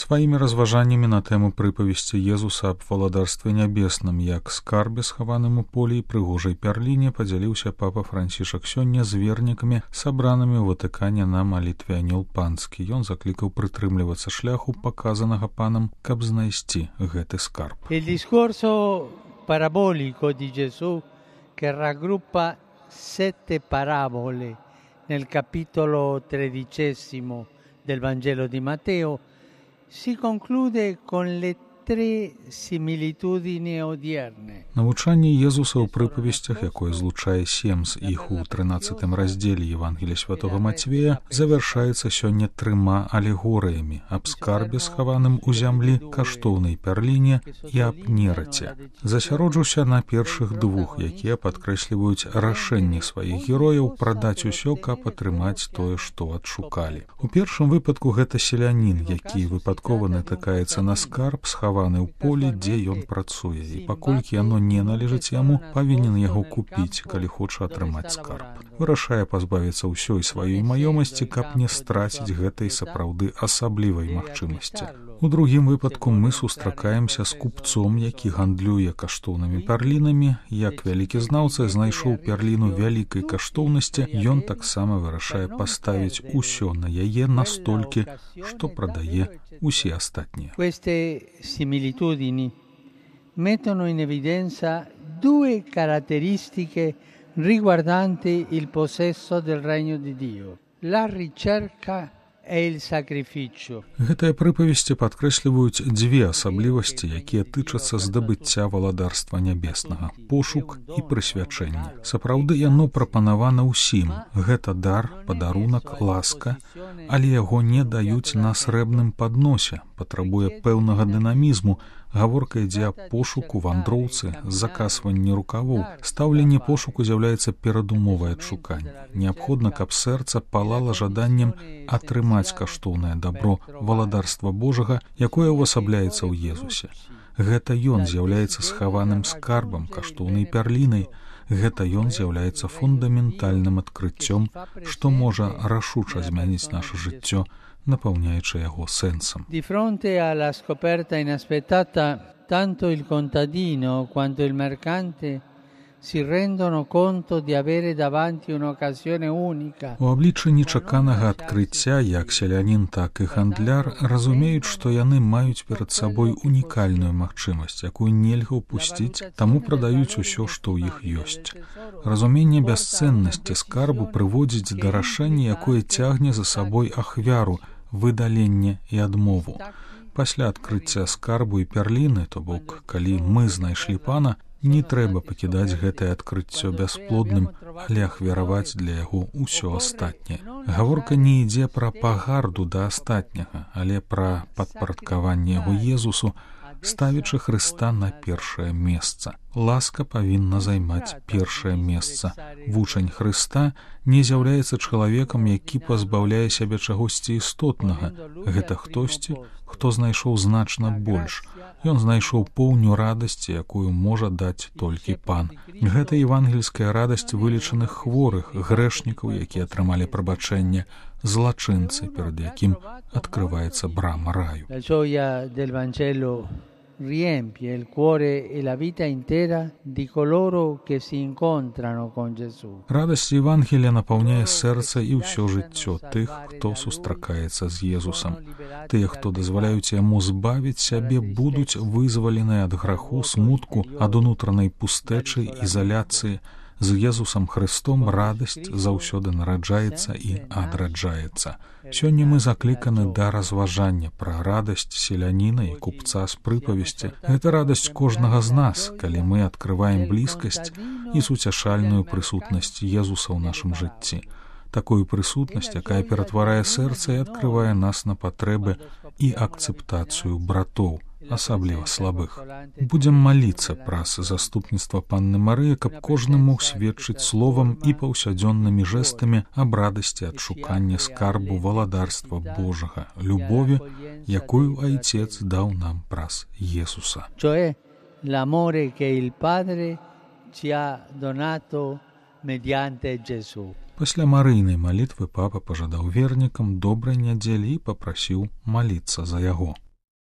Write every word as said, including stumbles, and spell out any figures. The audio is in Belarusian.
Сваімі разважаннямі на тэму прыпавесці Езуса аб валадарстве нябесным як скарбе, схаваным у полі і прыгожай пярліне, падзяліўся папа Францішак сёння з вернікамі, сабранымі ў Ватыкане на малітве Анёл Панскі. Ён заклікаў прытрымлівацца шляху, паказанага панам, каб знайсці гэты скарб. Il discorso parabolico di Gesù che raggruppa sette parabole nel capitolo tredicesimo del Vangelo di Matteo si conclude con le tre similitudini odierne. Навучанне Езуса ў прыпавесцях, якое злучае сем з іх у трынаццатым раздзеле Евангелія святога Мацвея, завяршаецца сёння трыма алегорыямі аб скарбе, схаваным у зямлі, каштоўнай пярліне і аб нераце. Засяроджуся на першых двух, якія падкрэсліваюць рашэнне сваіх герояў прадаць усё, каб атрымаць тое, што адшукалі. У першым выпадку гэта селянін, які выпадкова натыкаецца на скарб, схаваны ў полі, дзе ён працуе, і паколькі яно не належыць яму, павінен яго купіць, калі хоча атрымаць скарб. Вырашае пазбавіцца ўсёй сваёй маёмасці, каб не страціць гэтай сапраўды асаблівай магчымасці. У другім выпадку мы сустракаемся з купцом, які гандлюе каштоўнымі пярлінамі. Як вялікі знаўца знайшоў пярліну вялікай каштоўнасці, ён таксама вырашае паставіць усё на яе настолькі, што прадае усе астатнія. Queste similitudini mettono in evidenza due caratteristiche riguardanti il possesso del regno di Dio: la ricerca e il sacrificio. Гэтыя прыпавесці падкрэсліваюць дзве асаблівасці, якія тычацца здабыцця валадарства нябеснага: пошук і прысвячэнне. Сапраўды яно прапанавана ўсім. Гэта дар, падарунак, ласка, але яго не даюць на срэбным падносе, патрабуе пэўнага дынамізму. Гаворка ідзе аб пошуку, вандроўцы, закасванні рукавоў. Стаўленне пошуку з'яўляецца перадумовай адшукання. Неабходна, каб сэрца палала жаданнем атрымаць каштоўнае дабро валадарства Божага, якое ўвасабляецца ў Езусе. Гэта ён з'яўляецца схаваным скарбам, каштоўнай пярлінай. Гэта ён з'яўляецца фундаментальным адкрыццём, што можа рашуча змяніць наша жыццё, напаўняючы яго сэнсам. Di fronte alla scoperta inaspettata, tanto il contadino quanto il mercante si rendono conto di avere davanti un'occasione unica. У абліччы нечаканага адкрыцця як селянін, так і гандляр разумеюць, што яны маюць перад сабой унікальную магчымасць, якую нельга ўпусціць, таму прадаюць усё, што ў іх ёсць. Разуменне бясцэннасці скарбу прыводзіць да рашэння, якое цягне за сабой ахвяру, выдаленне і адмову. Пасля адкрыцця скарбу і пярліны, то бок, калі мы знайшлі пана, не трэба пакідаць гэтае адкрыццё бясплодным, але ахвяраваць для яго ўсё астатняе. Гаворка не ідзе пра пагарду да астатняга, але пра падпарадкаванне яго Езусу, ставячы Хрыста на першае месца. Ласка павінна займаць першае месца. Вучань Хрыста не з'яўляецца чалавекам, які пазбаўляе сябе чагосьці істотнага. Гэта хтосьці, хто знайшоў значна больш. Ён знайшоў поўню радасці, якую можа даць толькі пан. Гэта евангельская радасць вылечаных хворых, грэшнікаў, якія атрымалі прабачэнне, злачынцы, перад якім адкрываецца брама раю. La gioia del Vangelo riempie il cuore e la vita intera di coloro che si incontrano con Gesù. Радасць Евангелія напаўняе сэрца і ўсё жыццё тых, хто сустракаецца з Езусам. Тыя, хто дазваляюць яму збавіць сябе, будуць вызваленыя ад граху, смутку, ад унутранай пустэчы, ізаляцыі. З Езусам Хрыстом радасць заўсёды нараджаецца і адраджаецца. Сёння мы закліканы да разважання пра радасць селяніна і купца з прыпавесці. Гэта радасць кожнага з нас, калі мы адкрываем блізкасць і суцяшальную прысутнасць Езуса ў нашым жыцці. Такую прысутнасць, якая ператварае сэрца і адкрывае нас на патрэбы і акцэптацыю братоў, асабліва слабых. Будзем маліцца праз заступніцтва Панны Марыі, каб кожны мог сведчыць словам і паўсядзённымі жэстамі аб радасці адшукання скарбу валадарства Божага, любові, якую Айцец даў нам праз Jesуса. Cioè l'amore che il Padre ci ha donato mediante Gesù. Пасля марыйнай малітвы папа пажадаў вернікам добрай нядзелі і папрасіў маліцца за яго.